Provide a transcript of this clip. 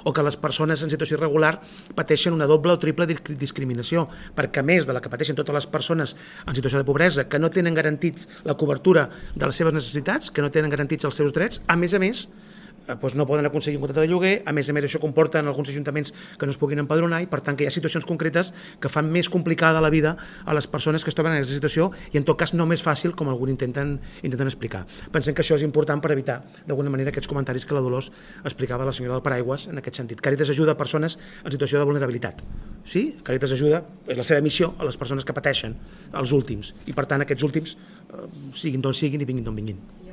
o que les persones en situació irregular pateixen una doble o triple discriminació, perquè a més de la que pateixen totes les persones en situació de pobresa, que no tenen garantits la cobertura de les seves necessitats, que no tenen garantits els seus drets, a més, no poden aconseguir un contracte de lloguer, a més això comporta en alguns ajuntaments que no es puguin empadronar i per tant que hi ha situacions concretes que fan més complicada la vida a les persones que es troben en aquesta situació i en tot cas no més fàcil com alguns intenten explicar. Pensem que això és important per evitar d'alguna manera aquests comentaris que la Dolors explicava la senyora del Paraigües en aquest sentit. Càritas ajuda a persones en situació de vulnerabilitat. Sí, Càritas ajuda, és la seva missió a les persones que pateixen, els últims, i per tant aquests últims siguin d'on siguin i vinguin d'on vinguin.